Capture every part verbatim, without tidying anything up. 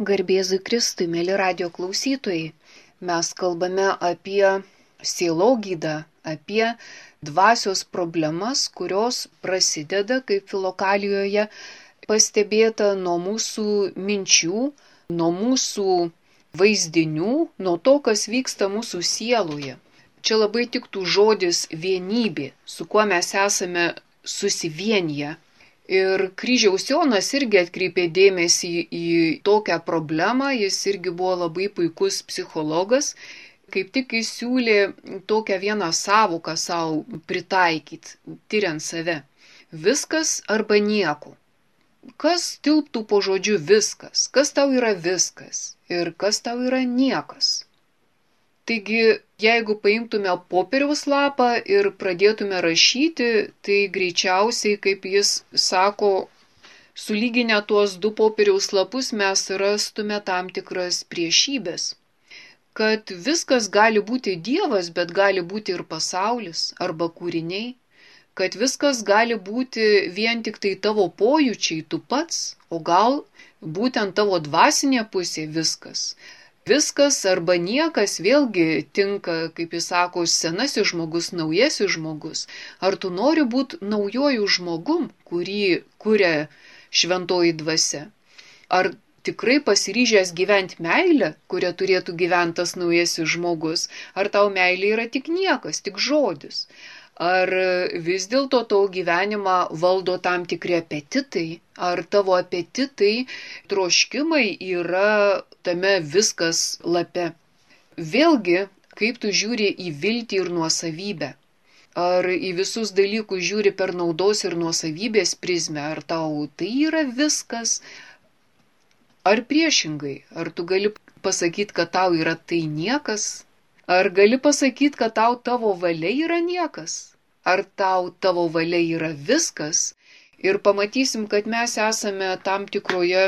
Garbėzui Kristui, mėly radio klausytojai, mes kalbame apie sielogydą, apie dvasios problemas, kurios prasideda, kaip Filokalijoje pastebėta, nuo mūsų minčių, nuo mūsų vaizdinių, nuo to, kas vyksta mūsų sieloje. Čia labai tiktų žodis vienybė, su kuo mes esame susivienyje. Ir Kryžiaus Jonas irgi atkreipė dėmesį į tokią problemą, jis irgi buvo labai puikus psichologas, kaip tik jis siūlė tokią vieną sąvoką savo pritaikyti, tyriant save. Viskas arba nieko. Kas tilptų po žodžiu viskas? Kas tau yra viskas? Ir kas tau yra niekas? Taigi, jeigu paimtume popieriaus lapą ir pradėtume rašyti, tai greičiausiai, kaip jis sako, sulyginę tuos du popieriaus lapus mes rastume tam tikras priešybės. Kad viskas gali būti Dievas, bet gali būti ir pasaulis arba kūriniai. Kad viskas gali būti vien tik tai tavo pojūčiai, tu pats, o gal būtent tavo dvasinė pusė viskas. Viskas arba niekas vėlgi tinka, kaip jis sako, senasis žmogus, naujasis žmogus. Ar tu nori būti naujojų žmogum, kurį kuria šventoji dvasia? Ar tikrai pasiryžęs gyventi meilę, kurią turėtų gyventi tas naujasis žmogus? Ar tau meilė yra tik niekas, tik žodis? Ar vis dėlto tavo gyvenimą valdo tam tikri apetitai? Ar tavo apetitai, troškimai yra tame viskas lape? Vėlgi, kaip tu žiūri į viltį ir nuosavybę? Ar į visus dalykus žiūri per naudos ir nuosavybės prizmę? Ar tau tai yra viskas? Ar priešingai? Ar tu gali pasakyti, kad tau yra tai niekas? Ar gali pasakyti, kad tau tavo valia yra niekas? Ar tau tavo valia yra viskas? Ir pamatysim, kad mes esame tam tikroje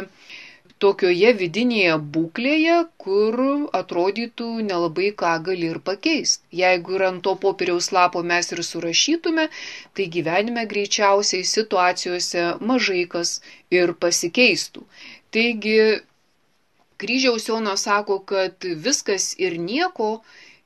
tokioje vidinėje būklėje, kur atrodytų nelabai ką gali ir pakeisti. Jeigu ir ant to popieriaus lapo mes ir surašytume, tai gyvenime greičiausiai situacijose mažai kas ir pasikeistų. Taigi, Kryžiaus Jonas sako, kad viskas ir nieko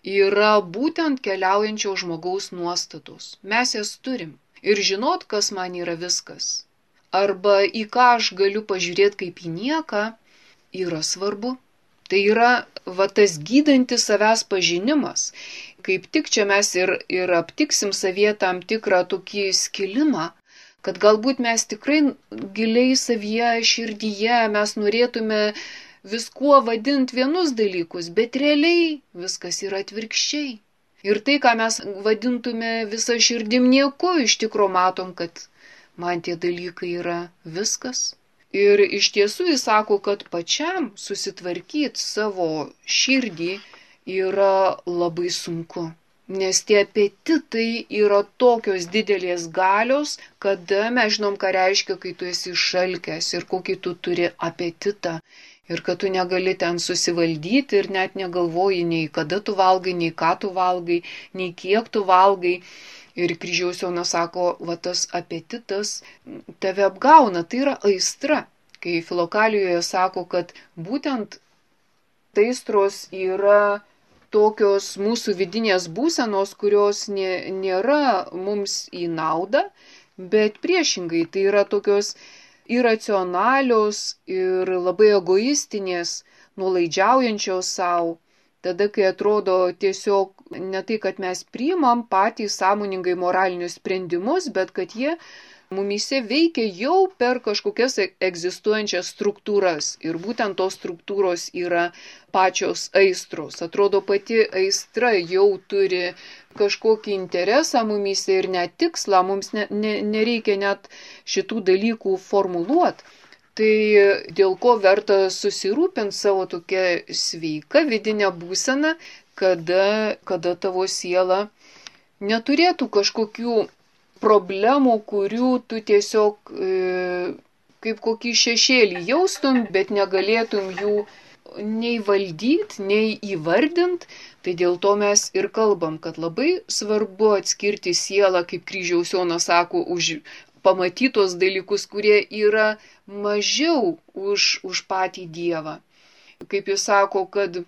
yra būtent keliaujančio žmogaus nuostatos. Mes jas turim. Ir žinot, kas man yra viskas. Arba į ką aš galiu pažiūrėti kaip į nieką, yra svarbu. Tai yra va tas gydantis savęs pažinimas. Kaip tik čia mes ir, ir aptiksim savyje tam tikrą tokį skilimą, kad galbūt mes tikrai giliai savyje, širdyje mes norėtume viskuo vadinti vienus dalykus, bet realiai viskas yra atvirkščiai. Ir tai, ką mes vadintume visą širdim nieku, iš tikro matom, kad man tie dalykai yra viskas. Ir iš tiesų jis sako, kad pačiam susitvarkyti savo širdį yra labai sunku. Nes tie apetitai yra tokios didelės galios, kada mes žinom, ką reiškia, kai tu esi šalkęs ir kokį tu turi apetitą. Ir kad tu negali ten susivaldyti ir net negalvoji nei kada tu valgai, nei ką tu valgai, nei kiek tu valgai. Ir Kryžiaus Jonas sako, va tas apetitas tave apgauna, tai yra aistra. Kai Filokalijoje sako, kad būtent aistros yra tokios mūsų vidinės būsenos, kurios nė, nėra mums į naudą, bet priešingai tai yra tokios iracionalios ir labai egoistinės, nuolaidžiaujančios savo, tada, kai atrodo tiesiog ne tai, kad mes priimam patys sąmoningai moralinius sprendimus, bet kad jie mumyse veikia jau per kažkokias egzistuojančias struktūras. Ir būtent tos struktūros yra pačios aistros. Atrodo, pati aistra jau turi kažkokį interesą mumyse ir net tikslą, mums ne, ne, nereikia net šitų dalykų formuluoti. Tai dėl ko verta susirūpinti savo tokią sveiką vidinę būseną, kada, kada tavo siela neturėtų kažkokių problemų, kurių tu tiesiog e, kaip kokį šešėlį jaustum, bet negalėtum jų nei valdyti, nei įvardinti. Tai dėl to mes ir kalbam, kad labai svarbu atskirti sielą, kaip Kryžiaus Jonas sako, už pamatytos dalykus, kurie yra mažiau už, už patį Dievą. kaip jis sako, kad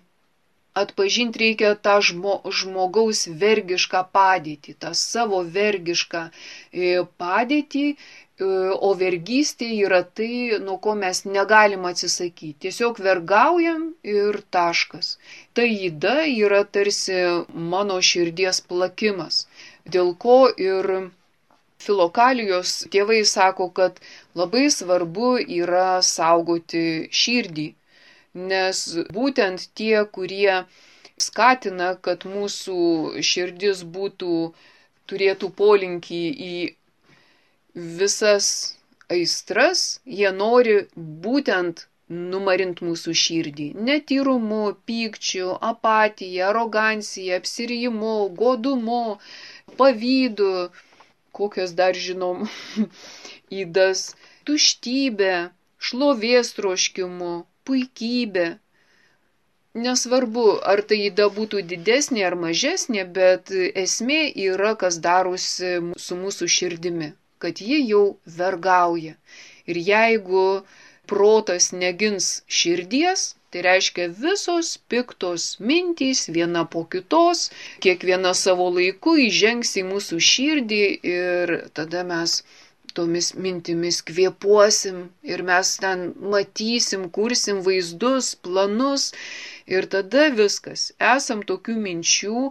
atpažinti reikia tą žmo, žmogaus vergišką padėtį, tą savo vergišką padėtį, o vergystė yra tai, nuo ko mes negalim atsisakyti. Tiesiog vergaujam ir taškas. Ta yda yra tarsi mano širdies plakimas, dėl ko ir Filokalijos tėvai sako, kad labai svarbu yra saugoti širdį. Nes būtent tie, kurie skatina, kad mūsų širdis būtų, turėtų polinkį į visas aistras, jie nori būtent numarinti mūsų širdį. Netyrumu, pykčiu, apatija, arogancija, apsirijimu, godumu, pavydu, kokios dar žinom ydas, tuštybė, šlovės troškimu, puikybė. Nesvarbu, ar tai yda būtų didesnė ar mažesnė, bet esmė yra, kas darosi su mūsų širdimi, kad ji jau vergauja. Ir jeigu protas negins širdies, tai reiškia visos piktos mintys viena po kitos, kiekviena savo laiku įžengs į mūsų širdį ir tada mes tomis mintimis kvėpuosim ir mes ten matysim, kursim vaizdus, planus ir tada viskas. Esam tokių minčių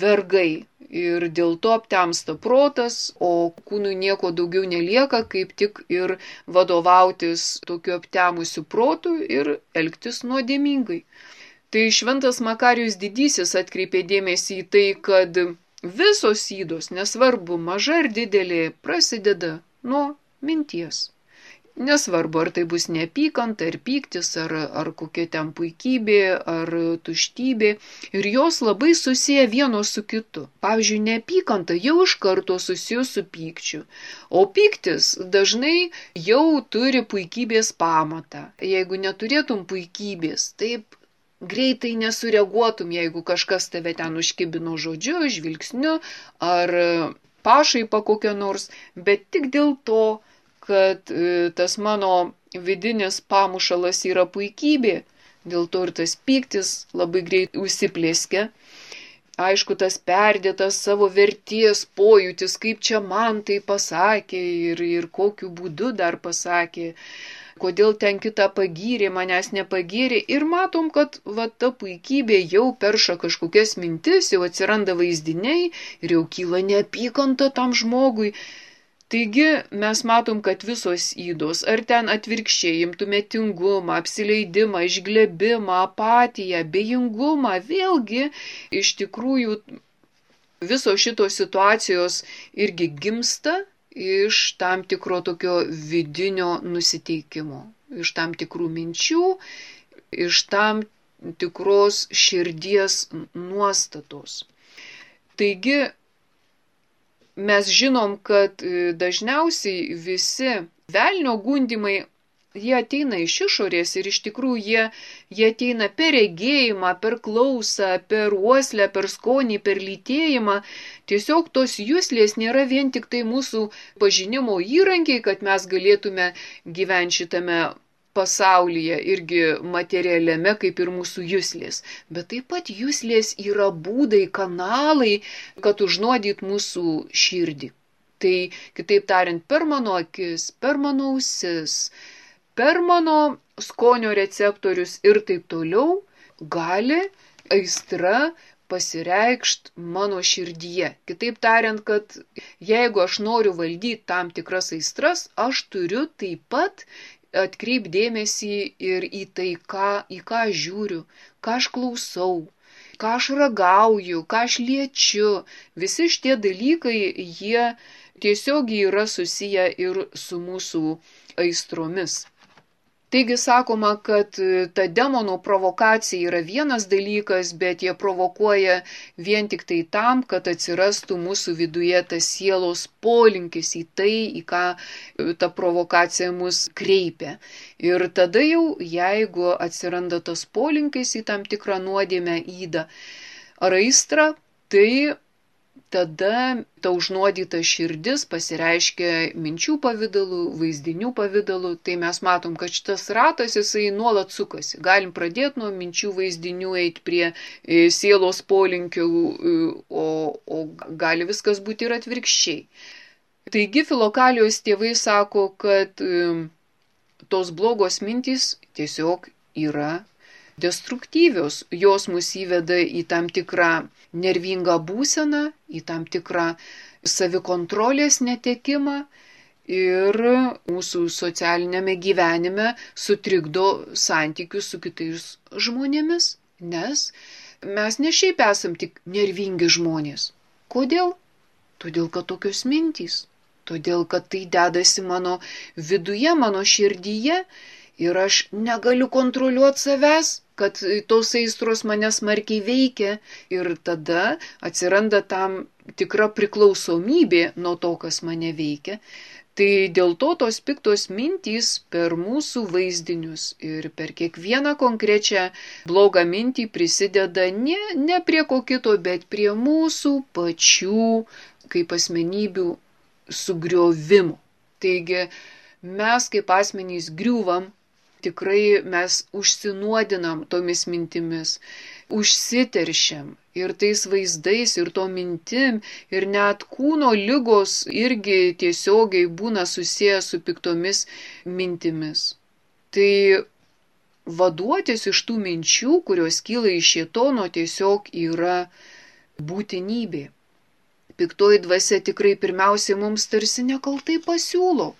vergai ir dėl to aptemsta protas, o kūnui nieko daugiau nelieka, kaip tik ir vadovautis tokiu aptemusiu protu ir elgtis nuodėmingai. Tai šventas Makarijus Didysis atkreipė dėmesį į tai, kad visos ydos, nesvarbu, maža ar didelė, prasideda nuo minties. Nesvarbu, ar tai bus neapykanta, ar pyktis, ar, ar kokia ten puikybė, ar tuštybė. Ir jos labai susiję vienos su kitu. Pavyzdžiui, neapykanta jau iš karto susijus su pykčiu. O pyktis dažnai jau turi puikybės pamatą. Jeigu neturėtum puikybės, taip greitai nesureaguotum, jeigu kažkas tave ten užkibino žodžiu, žvilgsniu ar pašaipa kokia nors, bet tik dėl to, kad tas mano vidinis pamušalas yra puikybė, dėl to ir tas pyktis labai greit užsiplėskia. Aišku, tas perdėtas savo verties pojūtis, kaip čia man tai pasakė ir, ir kokiu būdu dar pasakė, kodėl ten kitą pagyrė, manęs nepagyrė. Ir matom, kad va, ta puikybė jau perša kažkokias mintis, jau atsiranda vaizdiniai ir jau kyla neapykanta tam žmogui. Taigi mes matom, kad visos ydos, ar ten atvirkščiai imtume tingumą, apsileidimą, išglebimą, apatiją, bejingumą, vėlgi iš tikrųjų visos šitos situacijos irgi gimsta iš tam tikro tokio vidinio nusiteikimo, iš tam tikrų minčių, iš tam tikros širdies nuostatos. Taigi, mes žinom, kad dažniausiai visi velnio gundymai, jie ateina iš išorės ir iš tikrųjų jie, jie ateina per regėjimą, per klausą, per uoslę, per skonį, per lytėjimą. Tiesiog tos juslės nėra vien tik tai mūsų pažinimo įrankiai, kad mes galėtume gyventi šitame pasaulyje irgi materialiame kaip ir mūsų juslės. Bet taip pat juslės yra būdai, kanalai, kad užnuodyt mūsų širdį. Tai, kitaip tariant, per mano akis, per mano ausis, per mano skonio receptorius ir taip toliau gali aistra pasireikšt mano širdyje. Kitaip tariant, kad jeigu aš noriu valdyti tam tikras aistras, aš turiu taip pat atkreip dėmesį ir į tai, ką, į ką aš žiūriu, ką aš klausau, ką aš ragauju, ką aš liečiu. Visi šitie dalykai, jie tiesiog yra susiję ir su mūsų aistromis. Taigi sakoma, kad ta demonų provokacija yra vienas dalykas, bet jie provokuoja vien tik tai tam, kad atsirastų mūsų viduje tas sielos polinkis į tai, į ką ta provokacija mus kreipia. Ir tada jau, jeigu atsiranda tas polinkis į tam tikrą nuodėmę, ydą ar aistrą, tai tada ta užnuodyta širdis pasireiškia minčių pavidalu, vaizdinių pavidalu. Tai mes matom, kad šitas ratas jisai nuolat sukasi. Galim pradėti nuo minčių vaizdinių, eiti prie sielos polinkių, o, o gali viskas būti ir atvirkščiai. Taigi Filokalijos tėvai sako, kad tos blogos mintys tiesiog yra destruktyvios, jos mus įveda į tam tikrą nervingą būseną, į tam tikrą savikontrolės netekimą ir mūsų socialinėme gyvenime sutrikdo santykius su kitais žmonėmis, nes mes ne šiaip esam tik nervingi žmonės. Kodėl? Todėl, kad tokios mintys, todėl, kad tai dedasi mano viduje, mano širdyje ir aš negaliu kontroliuoti savęs, kad tos aistros mane smarkiai veikia ir tada atsiranda tam tikra priklausomybė nuo to, kas mane veikia. Tai dėl to tos piktos mintys per mūsų vaizdinius ir per kiekvieną konkrečią blogą mintį prisideda ne, ne prie ko kito, bet prie mūsų pačių kaip asmenybių sugriovimo. Taigi mes kaip asmenys griūvam, tikrai mes užsinuodinam tomis mintimis, užsiteršiam ir tais vaizdais, ir to mintim, ir net kūno ligos irgi tiesiogiai būna susiję su piktomis mintimis. Tai vaduotis iš tų minčių, kurios kyla iš šėtono, tiesiog yra būtinybė. Piktoji dvasia tikrai pirmiausiai mums tarsi nekaltai pasiūlo.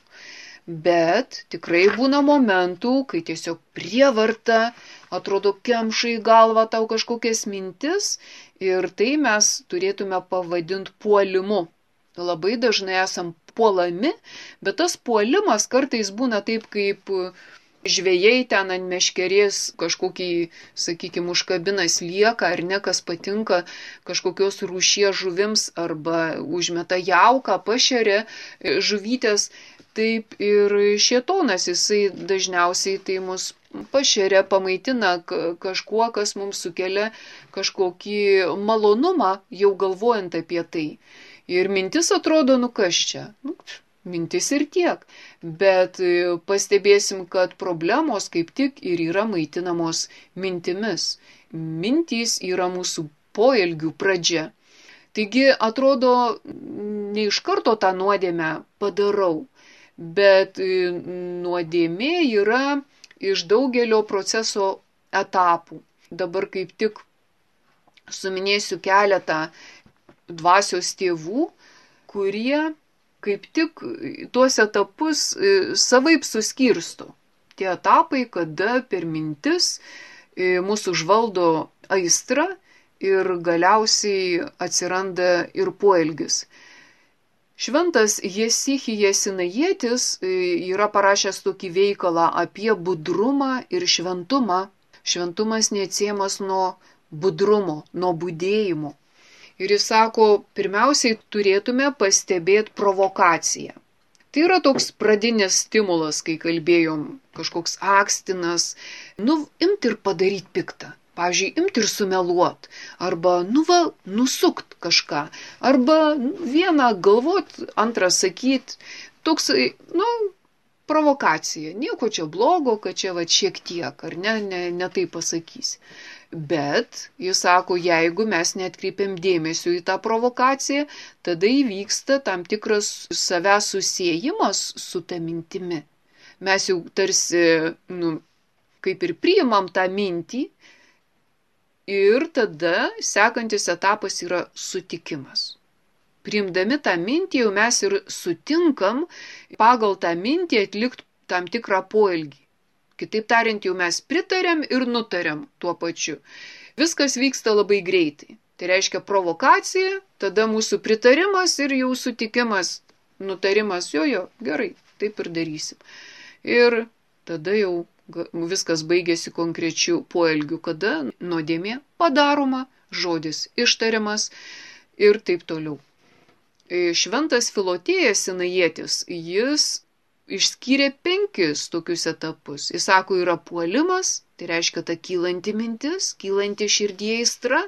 Bet tikrai būna momentų, kai tiesiog prievarta, atrodo, kemša į galvą tau kažkokias mintis ir tai mes turėtume pavadinti puolimu. Labai dažnai esam puolami, bet tas puolimas kartais būna taip, kaip žvejai ten ant meškerės kažkokį, sakykime, užkabina slieką ar ne, kas patinka kažkokios rūšies žuvims arba užmeta jauką, pašeria žuvytės. Taip ir šėtonas, jisai dažniausiai tai mus pašeria, pamaitina kažkuo, kas mums sukelia kažkokį malonumą, jau galvojant apie tai. Ir mintis atrodo, nu kas čia? Nu, mintis ir tiek. Bet pastebėsim, kad problemos kaip tik ir yra maitinamos mintimis. Mintys yra mūsų poelgių pradžia. Taigi atrodo, ne iš karto tą nuodėmę padarau. Bet nuodėmė yra iš daugelio proceso etapų. Dabar kaip tik suminėsiu keletą dvasios tėvų, kurie kaip tik tuos etapus savaip suskirsto. Tie etapai, kada per mintis mūsų užvaldo aistra ir galiausiai atsiranda ir poelgis. Šventas Jesichijas Sinajietis yra parašęs tokį veikalą apie budrumą ir šventumą. Šventumas neatsiejamas nuo budrumo, nuo budėjimo. Ir jis sako, pirmiausiai turėtume pastebėti provokaciją. Tai yra toks pradinis stimulas, kai kalbėjom, kažkoks akstinas, nu, imti ir padaryti piktą. Pavyzdžiui, imti ir sumeluot, arba, nu va, nusukt kažką, arba vieną galvot, antrą sakyt, toks, nu, provokacija. Nieko čia blogo, kad čia va šiek tiek, ar ne, ne, ne tai pasakysi. Bet, jis sako, jeigu mes neatkreipiam dėmesio į tą provokaciją, tada įvyksta tam tikras savęs susiejimas su ta mintimi. Mes jau tarsi, nu, kaip ir priimam tą mintį, ir tada sekantis etapas yra sutikimas. Priimdami tą mintį jau mes ir sutinkam pagal tą mintį atlikti tam tikrą poelgį. Kitaip tariant, jau mes pritarėm ir nutarėm tuo pačiu. Viskas vyksta labai greitai. Tai reiškia provokacija, tada mūsų pritarimas ir jau sutikimas, nutarimas, jo, jo, gerai, taip ir darysim. Ir tada jau viskas baigėsi konkrečiu poelgiu, kada nuodėmė padaroma, žodis ištariamas ir taip toliau. Šventas Filotėjas Sinajietis, jis išskyrė penkis tokius etapus. Jis sako, yra puolimas, tai reiškia ta kylanti mintis, kylanti širdyje aistra,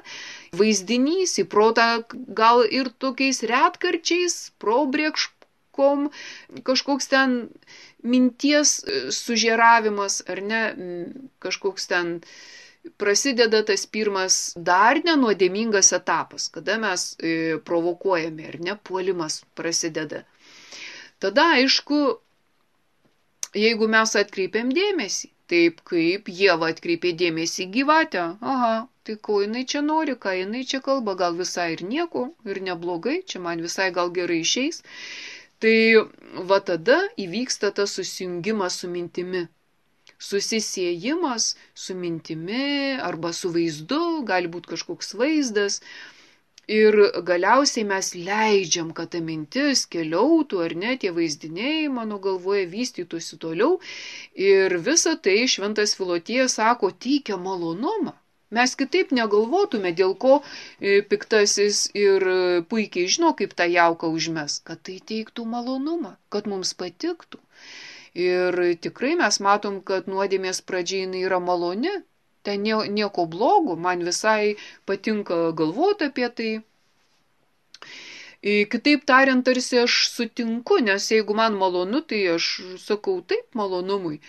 vaizdinys į protą gal ir tokiais retkarčiais, probrėkškom, kažkoks ten minties sužeravimas, ar ne, kažkoks ten prasideda tas pirmas dar nenuodėmingas etapas, kada mes provokuojame, ar ne, puolimas prasideda. Tada, aišku, jeigu mes atkreipiam dėmesį, taip kaip Ieva atkreipė dėmesį į gyvatę, aha, tai ko jinai čia nori, ką jinai čia kalba, gal visai ir nieko, ir neblogai, čia man visai gal gerai išeis, tai va tada įvyksta tas susijungimas su mintimi. Susisiejimas su mintimi arba su vaizdu, gali būti kažkoks vaizdas, ir galiausiai mes leidžiam, kad ta mintis keliautų, ar ne, tie vaizdiniai mano galvoje vystytųsi toliau. Ir visa tai šventas Filotėjas sako, teikia malonumą. Mes kitaip negalvotume, dėl ko piktasis ir puikiai žino, kaip tą jauką užmes, kad tai teiktų malonumą, kad mums patiktų. Ir tikrai mes matom, kad nuodėmės pradžia jinai yra maloni. Ten nieko blogo, man visai patinka galvoti apie tai. Kitaip tariant, tarsi aš sutinku, nes jeigu man malonu, tai aš sakau taip malonumui.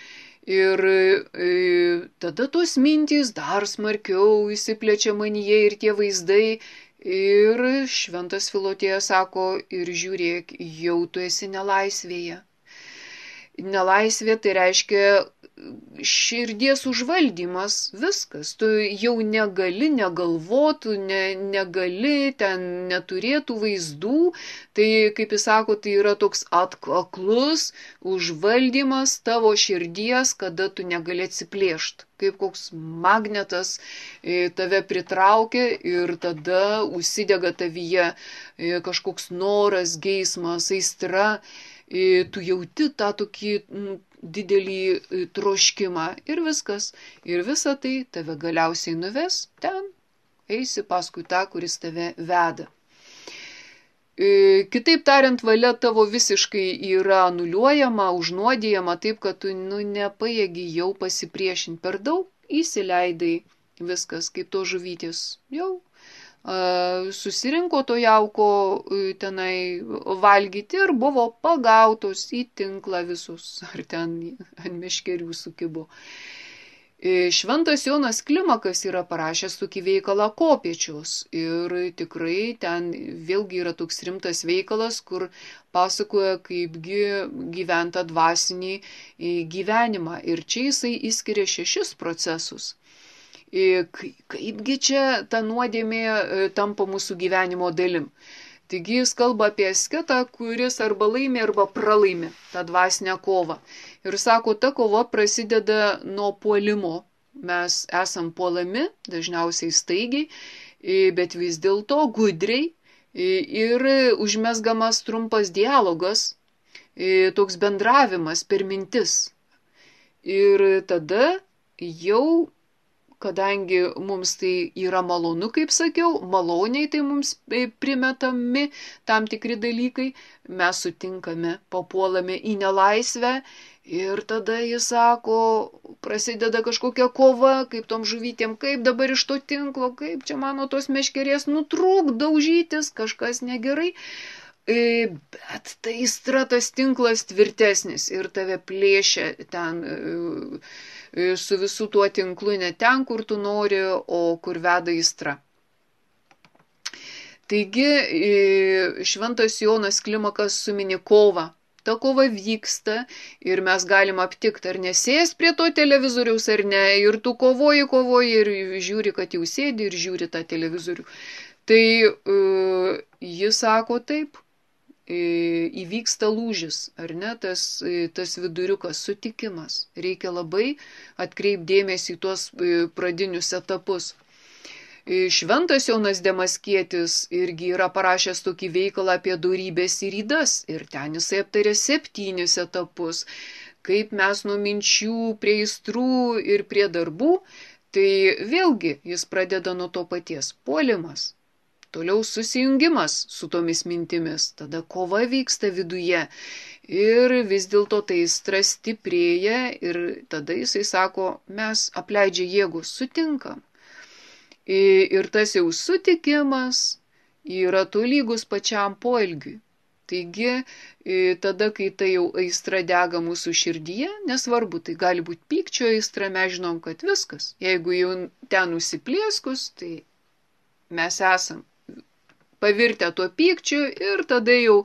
Ir e, tada tos mintys dar smarkiau įsiplečia manyje ir tie vaizdai. Ir šventas Filotėjas sako, ir žiūrėk, jau tu esi nelaisvėje. Nelaisvė tai reiškia širdies užvaldymas, viskas. Tu jau negali negalvotų, ne, negali, ten neturėtų vaizdų. Tai, kaip jis sako, tai yra toks atkaklus užvaldymas tavo širdies, kada tu negali atsiplėšti. Kaip koks magnetas tave pritraukia ir tada užsidega tavyje kažkoks noras, geismas, aistra. Tu jauti tą tokį didelį troškimą ir viskas. Ir visa tai tave galiausiai nuves ten, eisi paskui tą, kuris tave veda. Kitaip tariant, valia tavo visiškai yra anuliuojama, užnuodijama, taip, kad tu nu, nepajėgi jau pasipriešinti per daug, įsileidai viskas, kaip to žuvytis. Jau susirinko to jauko tenai valgyti ir buvo pagautos į tinklą visus, ar ten ant meškerių sukibo. Šventas Jonas Klimakas yra parašęs tokį veikalą Kopėčios ir tikrai ten vėlgi yra toks rimtas veikalas, kur pasakoja, kaipgi gyventa dvasinį gyvenimą. Ir čia jisai įskiria šešis procesus. Kaipgi čia ta nuodėmė tampa mūsų gyvenimo dalim. Taigi jis kalba apie asketą, kuris arba laimi, arba pralaimi tą dvasinę kovą. Ir sako, ta kova prasideda nuo puolimo. Mes esam puolami, dažniausiai staigiai, bet vis dėlto gudriai ir užmesgamas trumpas dialogas, toks bendravimas per mintis. Ir tada jau, kadangi mums tai yra malonu, kaip sakiau, maloniai tai mums primetami tam tikri dalykai, mes sutinkame, papuolame į nelaisvę ir tada jis sako, prasideda kažkokia kova, kaip tom žuvytėm, kaip dabar iš to tinklo, kaip čia mano tos meškerės nutrūk, daužytis, kažkas negerai. Bet tai aistra, tas tinklas tvirtesnis ir tave plėšia ten su visų tuo tinklu ne ten, kur tu nori, o kur veda aistra. Taigi šventas Jonas Klimakas sumini kovą. Ta kova vyksta ir mes galim aptikti, ar nesės prie to televizoriaus, ar ne. Ir tu kovoji, kovoji ir žiūri, kad jau sėdi ir žiūri tą televizorių. Tai jis sako taip. Įvyksta lūžis, ar ne, tas, tas viduriukas, sutikimas. Reikia labai atkreipdėmėsi į tuos pradinius etapus. Šventas Jonas Demaskietis irgi yra parašęs tokį veikalą apie dorybės ir ydas ir ten jisai aptarė septynis etapus, kaip mes nuo minčių prie aistrų ir prie darbų, tai vėlgi jis pradeda nuo to paties puolimas. Toliau susijungimas su tomis mintimis, tada kova vyksta viduje Ir vis dėlto tai aistra stiprėja ir tada jisai sako, mes apleidžia jėgos, sutinkam. Ir tas jau sutikimas yra tolygus pačiam poelgiui. Taigi, tada, kai tai jau aistra dega mūsų širdyje, nesvarbu, tai gali būti pykčio aistra, mes žinom, kad viskas. Jeigu jau ten nusiplieskus, tai mes esam pavirtę tuo pykčiu ir tada jau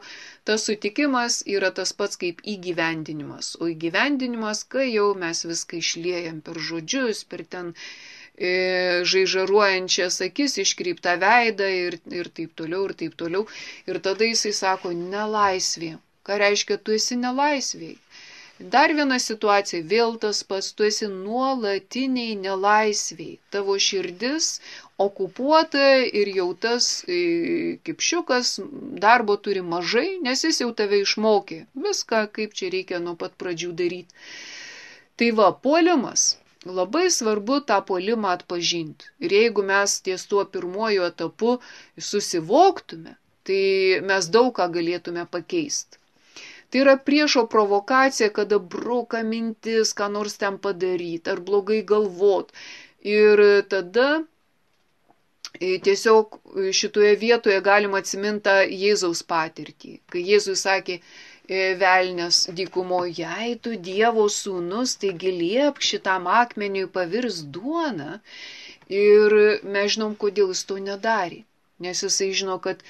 tas sutikimas yra tas pats kaip įgyvendinimas. O įgyvendinimas, kai jau mes viską išliejam per žodžius, per ten e, žaižaruojančias akis, iškreiptą veidą ir, ir taip toliau, ir taip toliau. Ir tada jisai sako, nelaisvė. Ką reiškia, tu esi nelaisvėj? Dar viena situacija, vėl tas pats, tu esi nuolatiniai nelaisviai. Tavo širdis okupuota ir jau tas kipšiukas darbo turi mažai, nes jis jau tave išmokė. Viską, kaip čia reikia nuo pat pradžių daryti. Tai va, puolimas. Labai svarbu tą puolimą atpažinti. Ir jeigu mes ties tuo pirmuoju etapu susivoktume, tai mes daug ką galėtume pakeisti. Tai yra priešo provokacija, kada bruka mintis, ką nors ten padaryti, ar blogai galvot. Ir tada tiesiog šitoje vietoje galima atsiminti Jėzaus patirtį. Kai Jėzus sakė, velnias dykumoje, jei tu Dievo sūnus, taigi liepk šitam akmeniui pavirs duona. Ir mes žinom, kodėl jis to nedarė. Nes jisai žino, kad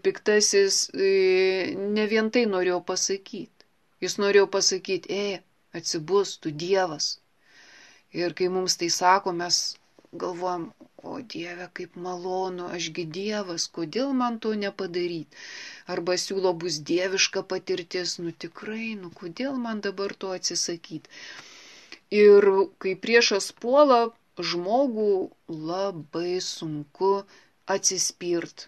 piktasis ne vien tai norėjo pasakyti. Jis norėjo pasakyti, e, atsibus, tu Dievas. Ir kai mums tai sako, mes galvojam, o Dieve, kaip malonu, ašgi Dievas, kodėl man to nepadaryti? Arba siūlo bus dieviška patirtis, nu tikrai, nu kodėl man dabar to atsisakyti? Ir kai priešas puola, žmogų labai sunku atsispirt.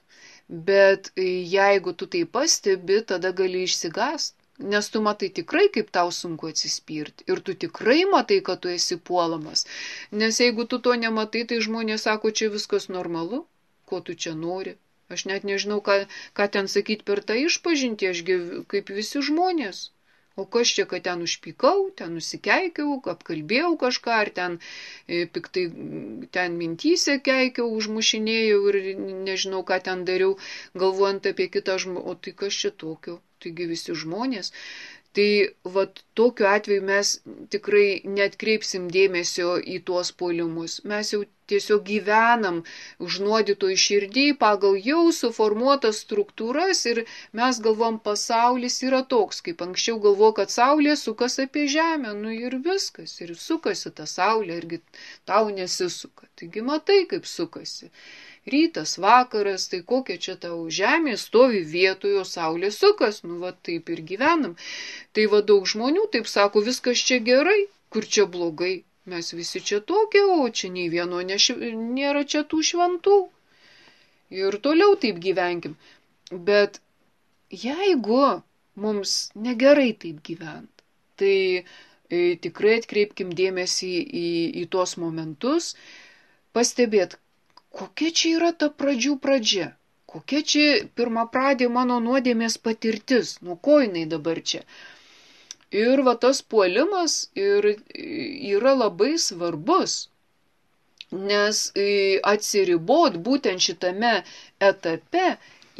Bet jeigu tu tai pastebi, tada gali išsigąst, nes tu matai tikrai, kaip tau sunku atsispirti. Ir tu tikrai matai, kad tu esi puolamas. Nes jeigu tu to nematai, tai žmonės sako, čia viskas normalu, ko tu čia nori. Aš net nežinau, ką, ką ten sakyti per tą išpažintį, ašgi kaip visi žmonės. O kas čia, kad ten užpykau, ten nusikeikiau, apkalbėjau kažką, ar ten e, piktai ten mintyse keikiau, užmušinėjau ir nežinau, ką ten dariau, galvojant apie kitą žmogų. O tai kas čia tokio? Taigi visi žmonės. Tai vat tokiu atveju mes tikrai neatkreipsim dėmesio į tuos puolimus. Mes jau tiesiog gyvenam užnuodytoj širdį pagal jau suformuotas struktūras ir mes galvom, pasaulis yra toks, kaip anksčiau galvo, kad saulė sukas apie žemę, nu ir viskas, ir sukasi ta saulė, irgi tau nesisuka. Taigi matai, kaip sukasi. Rytas, vakaras, tai kokia čia tau žemė, stovi vietoje, o saulė sukas, nu va taip ir gyvenam. Tai va daug žmonių taip sako, viskas čia gerai, kur čia blogai. Mes visi čia tokie, o čia nei vieno neš... nėra čia tų šventų. Ir toliau taip gyvenkim. Bet jeigu mums negerai taip gyvent, tai e, tikrai atkreipkim dėmesį į, į tuos momentus, pastebėt, kokia čia yra ta pradžių pradžia, kokia čia pirma pradė mano nuodėmės patirtis, nuo ko jinai dabar čia. Ir va tas puolimas ir yra labai svarbus, nes atsiribot būtent šitame etape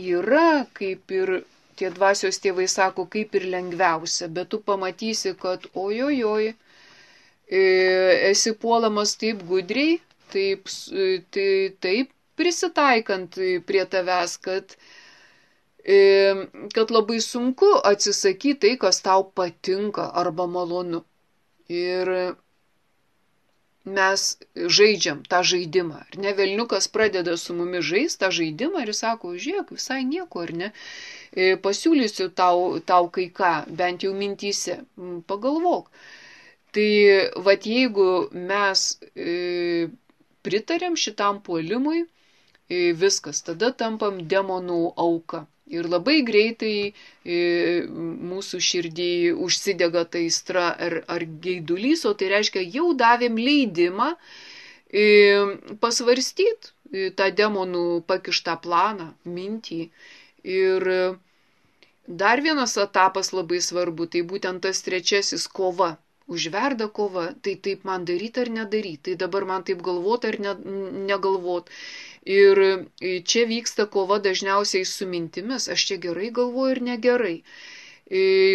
yra, kaip ir tie dvasios tėvai sako, kaip ir lengviausia, bet tu pamatysi, kad ojojoj, esi puolamas taip gudriai, taip, tai, taip prisitaikant prie tavęs, kad, kad labai sunku atsisakyti tai, kas tau patinka arba malonu. Ir mes žaidžiam tą žaidimą. Ar ne, velniukas pradeda su mumis žaisti tą žaidimą ir sako, žiūrėk, visai nieko, ar ne, pasiūlysiu tau, tau kai ką, bent jau mintyse, pagalvok. Tai vat jeigu mes e, pritarėm šitam puolimui, e, viskas, tada tampam demonų auka. Ir labai greitai e, mūsų širdį užsidega ta aistra ar, ar geidulys, o tai reiškia, jau davėm leidimą e, pasvarstyti tą demonų pakištą planą, mintį. Ir dar vienas etapas labai svarbu, tai būtent tas trečiasis kova. Užverda kova, tai taip man daryti ar nedaryti, tai dabar man taip galvot ar ne, negalvot. Ir čia vyksta kova dažniausiai su mintimis, aš čia gerai galvoju ir negerai.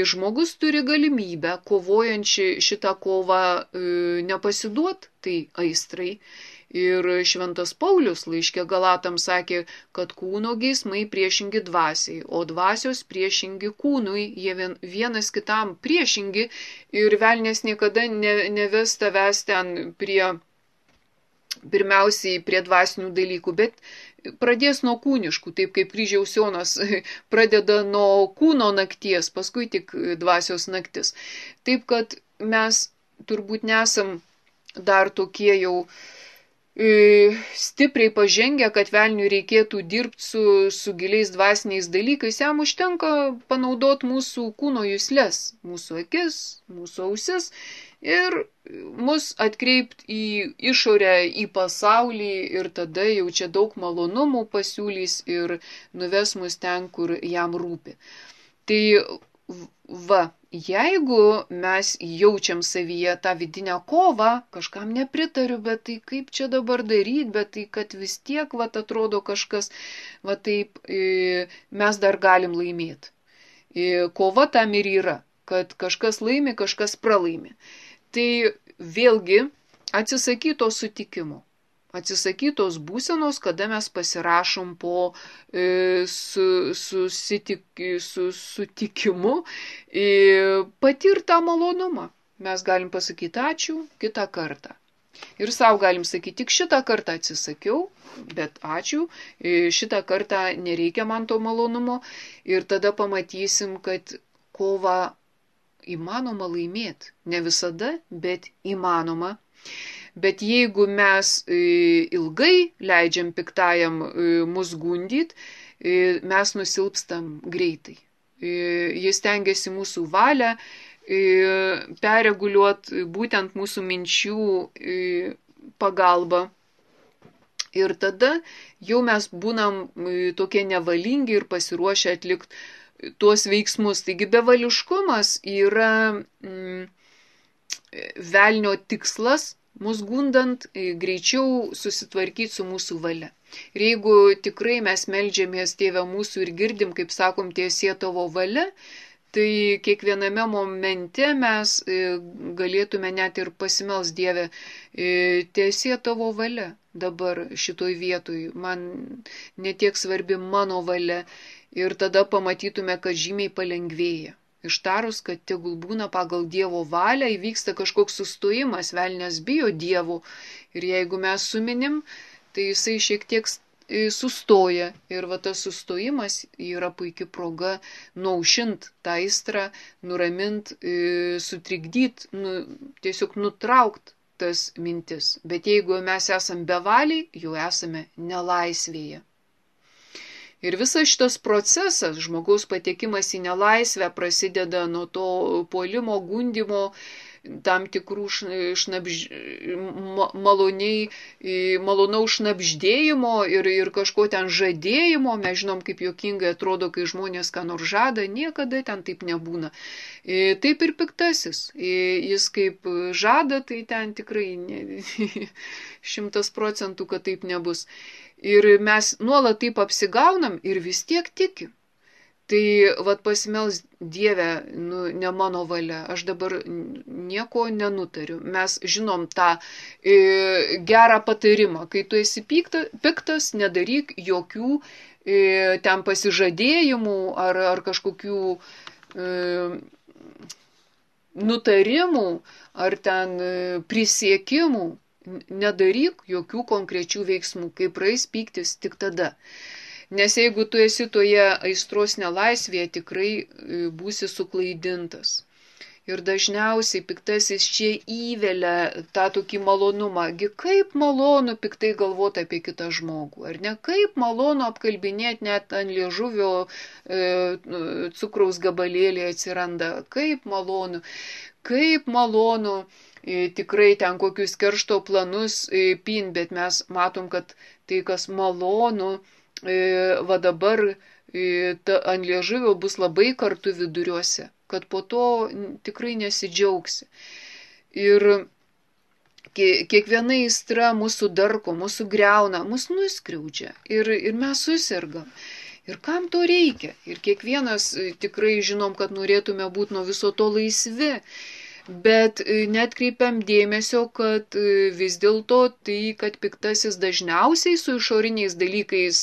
Žmogus turi galimybę, kovojančią šitą kovą, nepasiduot tai aistrai. Ir Šventas Paulius laiške Galatams sakė, kad kūno geismai priešingi dvasiai, o dvasios priešingi kūnui, jie vien, vienas kitam priešingi ir velnės niekada ne, neves tavęs ten prie, pirmiausiai prie dvasinių dalykų, bet pradės nuo kūniškų, taip kaip kryžiaus Jonas pradeda nuo kūno nakties, paskui tik dvasios naktis. Taip kad mes turbūt nesam dar tokie jau stipriai pažengę, kad velniui reikėtų dirbti su, su giliais dvasiniais dalykais, jam užtenka panaudoti mūsų kūno juslės, mūsų akis, mūsų ausis ir mus atkreipti į išorę, į pasaulį ir tada jau čia daug malonumų pasiūlys ir nuves mus ten, kur jam rūpi. Tai va, jeigu mes jaučiam savyje tą vidinę kovą, kažkam nepritariu, bet tai kaip čia dabar daryti, bet tai kad vis tiek, va, atrodo kažkas, va taip, mes dar galim laimėti. Kova tam ir yra, kad kažkas laimi, kažkas pralaimi. Tai vėlgi atsisakyto sutikimo. Atsisakytos būsenos, kada mes pasirašom po e, su, susitik, su, sutikimu e, patirtą malonumą. Mes galim pasakyti ačiū kitą kartą. Ir savo galim sakyti, tik šitą kartą atsisakiau, bet ačiū, e, šitą kartą nereikia man to malonumo. Ir tada pamatysim, kad kovą įmanoma laimėti. Ne visada, bet įmanoma. Bet jeigu mes ilgai leidžiam piktajam mus gundyti, mes nusilpstam greitai. Jis tengiasi mūsų valią perreguliuoti būtent mūsų minčių pagalba. Ir tada jau mes būnam tokie nevalingi ir pasiruošę atlikti tuos veiksmus. Taigi bevališkumas yra mm, velnio tikslas, mus gundant greičiau susitvarkyti su mūsų valia. Ir jeigu tikrai mes meldžiamės Tėve mūsų ir girdim, kaip sakom, tiesie tavo valia, tai kiekviename momente mes galėtume net ir pasimels Dieve, tiesie tavo valia dabar šitoj vietoj, man netiek svarbi mano valia ir tada pamatytume, kad žymiai palengvėja. Ištarus, kad tegul būna pagal Dievo valią, įvyksta kažkoks sustojimas, velnias bijo Dievo ir jeigu mes suminim, tai jisai šiek tiek sustoja ir va tas sustojimas yra puikia proga nuaušint tą aistrą, nuramint, sutrikdyt, nu, tiesiog nutraukt tas mintis. Bet jeigu mes esam bevaliai, jau esame nelaisvėje. Ir visas šitas procesas, žmogaus patekimas į nelaisvę prasideda nuo to puolimo, gundimo, tam tikrų šnabž... maloniai, malonaus šnabždėjimo ir, ir kažko ten žadėjimo. Mes žinom, kaip juokingai atrodo, kai žmonės ką nors žada, niekada ten taip nebūna. Taip ir piktasis. Jis kaip žada, tai ten tikrai šimtas procentų, kad taip nebus. Ir mes nuolat taip apsigaunam ir vis tiek tikim. Tai vat pasimels Dieve, nu, ne mano valia, aš dabar nieko nenutariu. Mes žinom tą e, gerą patarimą, kai tu esi pikta, piktas, nedaryk jokių e, ten pasižadėjimų ar, ar kažkokių e, nutarimų ar ten e, prisiekimų. Nedaryk jokių konkrečių veiksmų, kai praeis pyktis tik tada. Nes jeigu tu esi toje aistros nelaisvėje, tikrai būsi suklaidintas. Ir dažniausiai piktasis čia įvelia tą tokį malonumą. Gi kaip malonu piktai galvoti apie kitą žmogų, ar ne? Kaip malonu apkalbinėti net ant liežuvio e, cukraus gabalėlį atsiranda. Kaip malonu, kaip malonu. Tikrai ten kokius keršto planus pin, bet mes matom, kad tai, kas malonu, va dabar ta ant liežuvio bus labai kartu viduriuose, kad po to tikrai nesidžiaugsi. Ir kiekviena aistra mūsų darko, mūsų greuna, mūsų nuskriaudžia ir, ir mes susirgam. Ir kam to reikia? Ir kiekvienas tikrai žinom, kad norėtume būti nuo viso to laisvi, bet netkreipiam dėmesio, kad vis dėlto tai, kad piktasis dažniausiai su išoriniais dalykais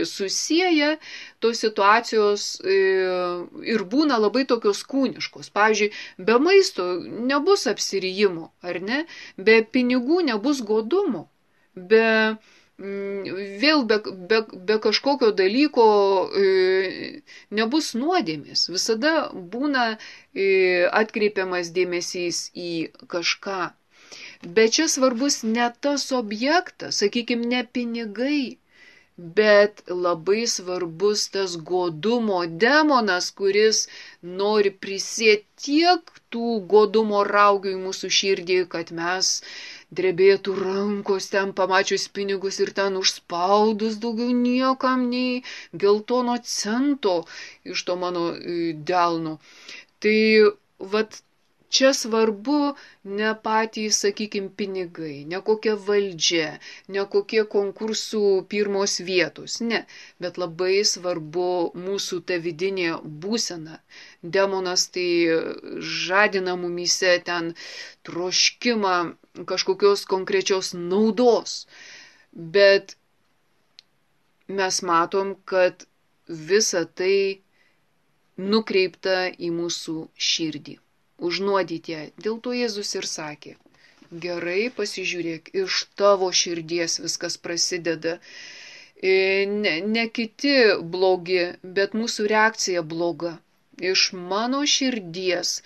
susieja, tos situacijos ir būna labai tokios kūniškos. Pavyzdžiui, be maisto nebus apsirijimo, ar ne? Be pinigų nebus godumo, be... Vėl be, be, be kažkokio dalyko e, nebus nuodėmės. Visada būna e, atkreipiamas dėmesys į kažką. Bet čia svarbus ne tas objektas, sakykime, ne pinigai, bet labai svarbus tas godumo demonas, kuris nori prisėti tiek tų godumo raugių į mūsų širdį, kad mes drebėtų rankos ten pamačius pinigus ir ten užspaudus daugiau niekam nei geltono cento iš to mano delno. Tai vat čia svarbu ne patys, sakykime, pinigai, ne kokia valdžia, ne kokie konkursų pirmos vietos, ne, bet labai svarbu mūsų ta vidinė būsena. Demonas tai žadina mumyse ten troškimą kažkokios konkrečios naudos, bet mes matom, kad visa tai nukreipta į mūsų širdį, užnuodyti ją. Dėl to Jėzus ir sakė, gerai pasižiūrėk, iš tavo širdies viskas prasideda. Ne, ne kiti blogi, bet mūsų reakcija bloga. Iš mano širdies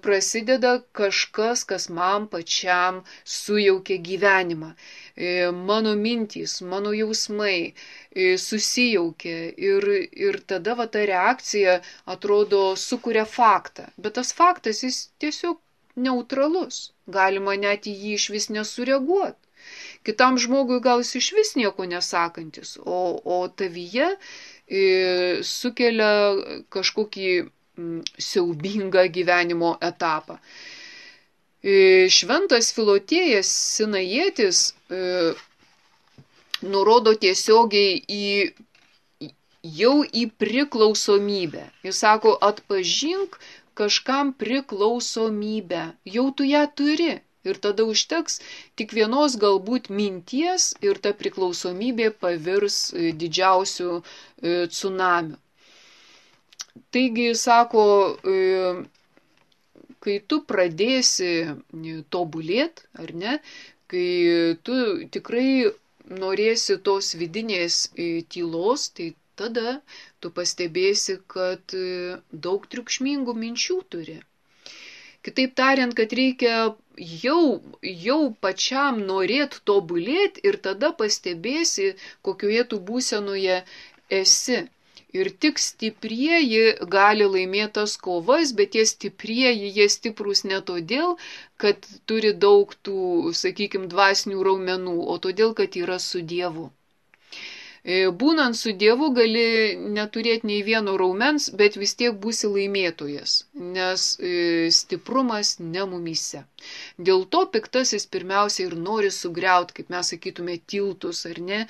prasideda kažkas, kas man pačiam sujaukia gyvenimą. Mano mintys, mano jausmai susijaukia ir, ir tada va, ta reakcija atrodo sukuria faktą. Bet tas faktas jis tiesiog neutralus. Galima net į jį iš vis nesureaguoti. Kitam žmogui gal jis iš vis nieko nesakantis, o, o tavyje e, sukelia kažkokį m, siaubingą gyvenimo etapą. E, šventas Filotėjas Sinajietis e, nurodo tiesiogiai į, jau į priklausomybę. Jis sako, atpažink kažkam priklausomybę, jau tu ją turi. Ir tada užteks tik vienos galbūt minties ir ta priklausomybė pavirs didžiausiu tsunamiu. Taigi, sako, kai tu pradėsi tobulėti, ar ne, kai tu tikrai norėsi tos vidinės tylos, tai tada tu pastebėsi, kad daug triukšmingų minčių turi. Kitaip tariant, kad reikia jau, jau pačiam norėti tobulėti ir tada pastebėsi, kokioje tu būsenoje esi. Ir tik stiprieji gali laimėti tas kovas, bet tie stiprieji, jie stiprūs ne todėl, kad turi daug tų, sakykime, dvasinių raumenų, o todėl, kad yra su Dievu. Būnant su Dievu gali neturėti nei vieno raumens, bet vis tiek būsi laimėtojas, nes stiprumas ne mumyse. Dėl to piktasis pirmiausia ir nori sugriauti, kaip mes sakytume, tiltus ar ne,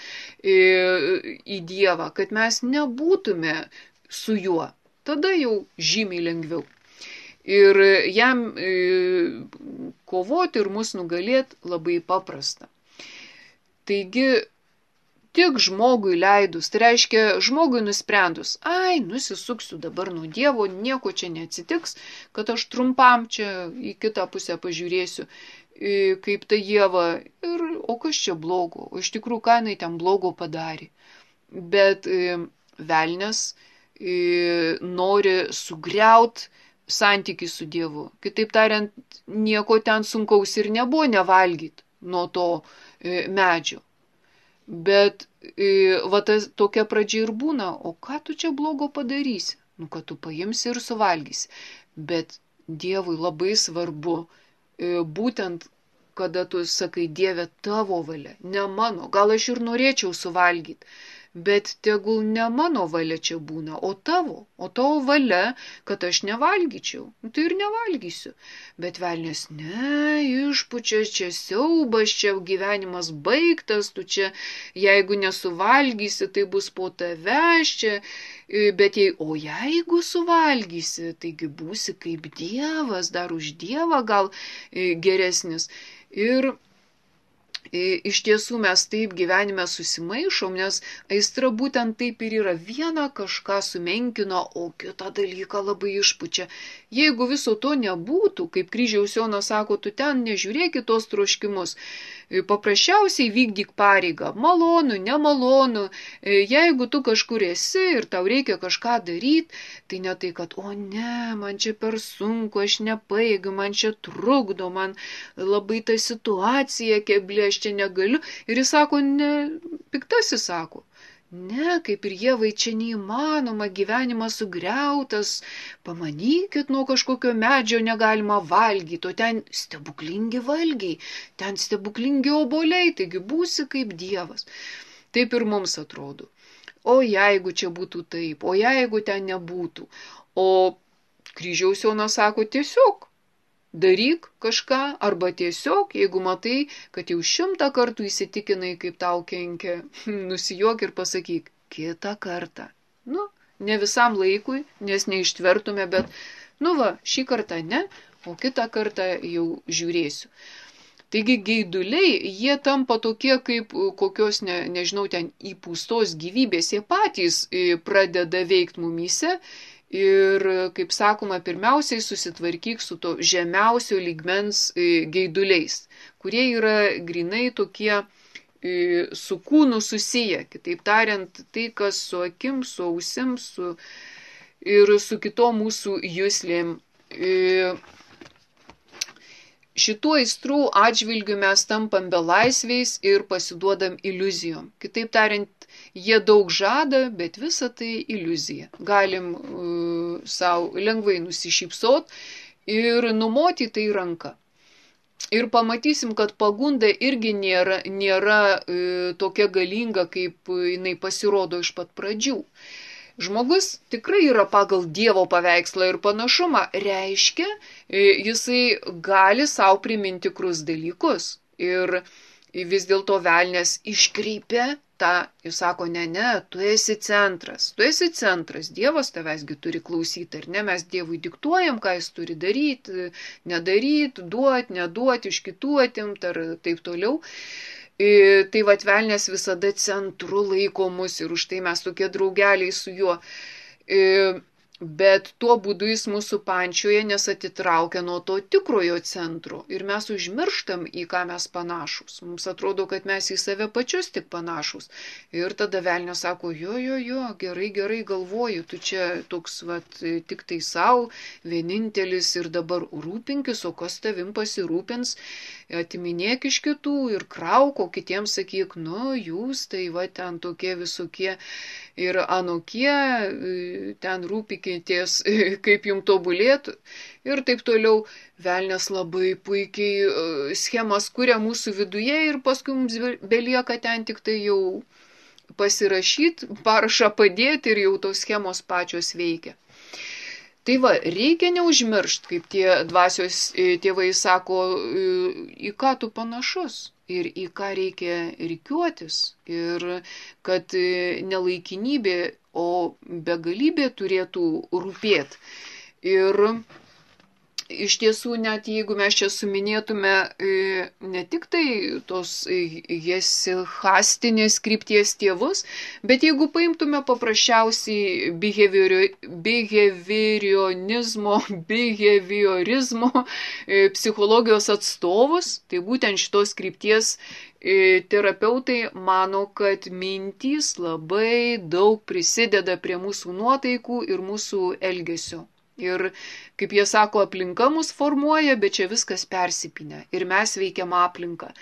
į Dievą, kad mes nebūtume su juo. Tada jau žymiai lengviau. Ir jam kovoti ir mus nugalėti labai paprasta. Taigi, tik žmogui leidus, tai reiškia žmogui nusprendus, ai, nusisuksiu dabar nuo Dievo, nieko čia neatsitiks, kad aš trumpam čia į kitą pusę pažiūrėsiu, kaip ta Ieva, ir, o kas čia blogo, o iš tikrųjų, ką jinai ten blogo padarė. Bet velnias nori sugriaut santykį su Dievu. Kitaip tariant, nieko ten sunkaus ir nebuvo nevalgyti nuo to medžio. Bet va, tas, tokia pradžia ir būna, o ką tu čia blogo padarysi? Nu, kad tu paimsi ir suvalgysi. Bet Dievui labai svarbu, būtent kada tu sakai, Dieve, tavo valia, ne mano, gal aš ir norėčiau suvalgyti, bet tegul ne mano valia čia būna, o tavo, o tavo valia, kad aš nevalgyčiau. Tai ir nevalgysiu. Bet velnias, ne, išpučia, čia siaubas, čia gyvenimas baigtas, tu čia, jeigu nesuvalgysi, tai bus po tavęs čia, bet jei, o jeigu suvalgysi, taigi būsi kaip Dievas, dar už Dievą gal geresnis. Ir iš tiesų mes taip gyvenime susimaišom, nes aistra būtent taip ir yra. Viena kažką sumenkino, o kitą dalyką labai išpučia. Jeigu viso to nebūtų, kaip Kryžiaus Jonas sako, tu ten nežiūrėk į tos troškimus. Paprasčiausiai vykdyk pareigą. Malonu, nemalonu. Jeigu tu kažkur esi ir tau reikia kažką daryti, tai ne tai, kad, o ne, man čia per sunku, aš nepajėgiu, man čia trukdo, man labai ta situacija keblė, aš čia negaliu. Ir jis sako, ne, piktasis sako, ne, kaip ir Ievai, čia neįmanoma, gyvenimas sugriautas, pamanykit, nuo kažkokio medžio negalima valgyti, o ten stebuklingi valgiai, ten stebuklingi obuoliai, taigi būsi kaip Dievas. Taip ir mums atrodo. O jeigu čia būtų taip, o jeigu ten nebūtų. O Kryžiaus Jonas sako, tiesiog daryk kažką, arba tiesiog, jeigu matai, kad jau šimtą kartų įsitikinai, kaip tau kenkia, nusijuok ir pasakyk, kitą kartą. Nu, ne visam laikui, nes neištvertume, bet, nu va, šį kartą ne, o kitą kartą jau žiūrėsiu. Taigi geiduliai, jie tampa tokie kaip kokios, ne, nežinau, ten įpūstos gyvybės, jie patys pradeda veikti mumyse. Ir, kaip sakoma, pirmiausiai susitvarkyk su to žemiausio lygmens geiduliais, kurie yra grinai tokie su kūnu susiję. Kitaip tariant, tai, kas su akim, su ausim, su, ir su kitom mūsų juslėm. Šituo aistrų atžvilgiu mes tampam belaisviais ir pasiduodam iliuzijom. Kitaip tariant, jie daug žada, bet visa tai iliuzija. Galim uh, savo lengvai nusišypsot ir numoti tai ranką. Ir pamatysim, kad pagunda irgi nėra, nėra uh, tokia galinga, kaip jinai pasirodo iš pat pradžių. Žmogus tikrai yra pagal Dievo paveikslą ir panašumą, reiškia, jisai gali savo priminti tikrus dalykus. Ir vis dėlto velnias iškreipia tą, jis sako, ne, ne, tu esi centras, tu esi centras, Dievas tavęsgi turi klausyti, ar ne, mes Dievui diktuojam, ką jis turi daryti, nedaryti, duoti, neduoti, iš kitų atimt ar taip toliau. Tai vat velnias visada centru laiko mus ir už tai mes tokie draugeliai su juo. Bet tuo būdu jis mūsų pančioje, nes atitraukia nuo to tikrojo centro. Ir mes užmirštam, į ką mes panašus. Mums atrodo, kad mes į save pačius tik panašus. Ir tada velnias sako, jo, jo, jo, gerai, gerai galvoju, tu čia toks, vat, tik tai savo, vienintelis ir dabar rūpinkis, o kas tavim pasirūpins, atiminėk iš kitų ir krauk, o kitiems sakyk, nu, jūs tai va ten tokie visokie ir anokie, ten rūpikitės, kaip jums tobulėtų. Ir taip toliau velnias labai puikiai schemas kuria mūsų viduje ir paskui mums belieka ten tik tai jau pasirašyti, parašą padėti ir jau tos schemos pačios veikia. Tai va, reikia neužmiršti, kaip tie dvasios tėvai sako, į ką tu panašus ir į ką reikia rikiuotis. Ir kad ne laikinybė, o begalybė turėtų rūpėti. Ir iš tiesų, net jeigu mes čia suminėtume ne tik tai tos hesichastinės krypties tėvus, bet jeigu paimtume paprasčiausiai behaviorionizmo, behaviorizmo psichologijos atstovus, tai būtent šitos krypties terapeutai mano, kad mintys labai daug prisideda prie mūsų nuotaikų ir mūsų elgesio. Ir, kaip jie sako, aplinka mus formuoja, bet čia viskas persipinę ir mes veikiam aplinką.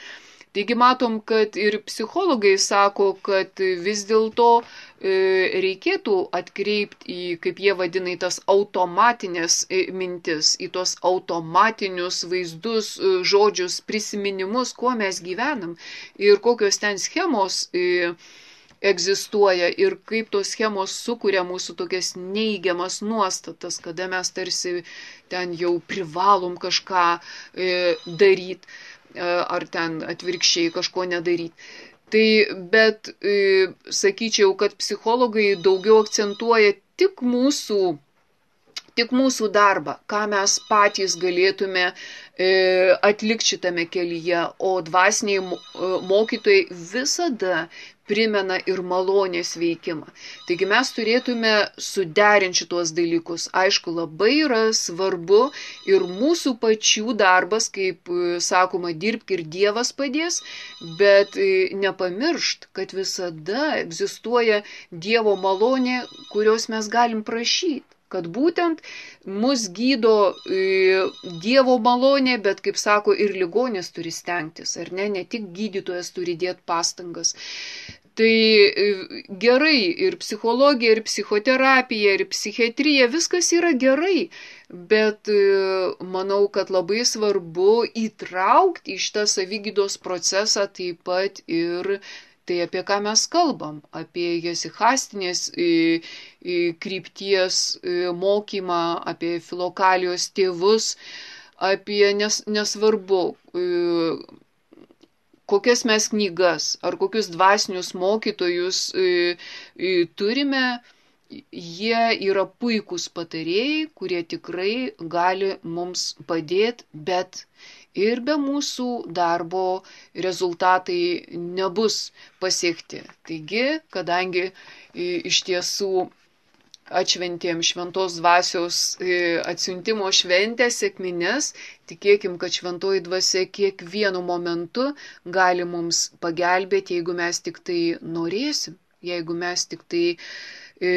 Taigi matom, kad ir psichologai sako, kad vis dėlto reikėtų atkreipti į, kaip jie vadina, į tas automatinės mintis, į tos automatinius vaizdus, žodžius, prisiminimus, kuo mes gyvenam ir kokios ten schemos egzistuoja ir kaip tos schemos sukuria mūsų tokias neigiamas nuostatas, kada mes tarsi ten jau privalom kažką e, daryti e, ar ten atvirkščiai kažko nedaryti. Tai, bet e, sakyčiau, kad psichologai daugiau akcentuoja tik mūsų, tik mūsų darbą, ką mes patys galėtume e, atlikti šitame kelyje, o dvasiniai mokytojai visada primena ir malonės veikimą. Taigi mes turėtume suderinti šitos dalykus. Aišku, labai yra svarbu ir mūsų pačių darbas, kaip sakoma, dirbk ir Dievas padės, bet nepamiršt, kad visada egzistuoja Dievo malonė, kurios mes galim prašyti. Kad būtent mus gydo e, Dievo malonė, bet, kaip sako, ir ligonis turi stengtis, ar ne, ne tik gydytojas turi dėti pastangas. Tai e, gerai, ir psichologija, ir psichoterapija, ir psichiatrija, viskas yra gerai, bet e, manau, kad labai svarbu įtraukti į šitą savigydos procesą taip pat ir tai, apie ką mes kalbam, apie jesihastinės krypties mokymą, apie filokalijos tėvus, apie nes, nesvarbu, kokias mes knygas ar kokius dvasinius mokytojus turime, jie yra puikūs patarėjai, kurie tikrai gali mums padėti, bet ir be mūsų darbo rezultatai nebus pasiekti. Taigi, kadangi iš tiesų atšventėm šventos dvasios atsiuntimo šventę, sekmines, tikėkim, kad šventoji dvasia kiekvienu momentu gali mums pagelbėti, jeigu mes tik tai norėsim, jeigu mes tik tai e,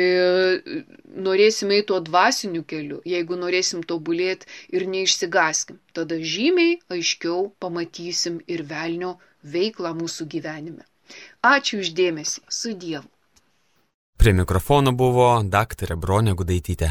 norėsim eiti tuo dvasiniu keliu, jeigu norėsim tobulėti ir neišsigaskim, tada žymiai aiškiau pamatysim ir velnio veiklą mūsų gyvenime. Ačiū už dėmesį, su Dievu. Prie mikrofono buvo daktarė Bronė Gudaitytė.